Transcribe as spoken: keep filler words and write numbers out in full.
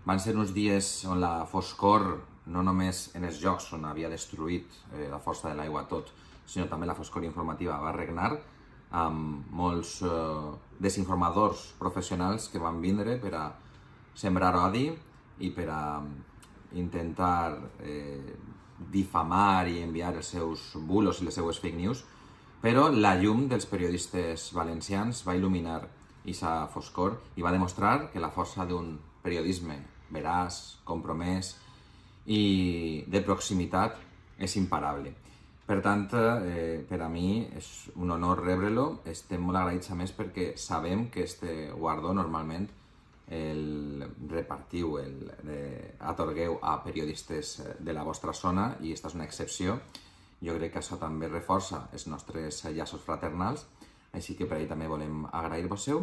Van ser uns dies on la foscor, no només en els jocs on havia destruït eh, la força de l'aigua tot, sinó també la foscor informativa va regnar, amb molts eh, desinformadors professionals que van vindre per a sembrar odi i per a intentar eh, difamar i enviar els seus bulos i les seues fake news, però la llum dels periodistes valencians va il·luminar aquesta foscor i va demostrar que la força d'un periodisme veraç, compromès i de proximitat és imparable. Per tant, eh, per a mi és un honor rebre-lo. Estem molt agraïts a més perquè sabem que este guardó normalment el repartiu, el eh, atorgueu a periodistes de la vostra zona i aquesta és una excepció. Jo crec que això també reforça els nostres llaços fraternals, així que per ahí també volem agrair-vos-ho.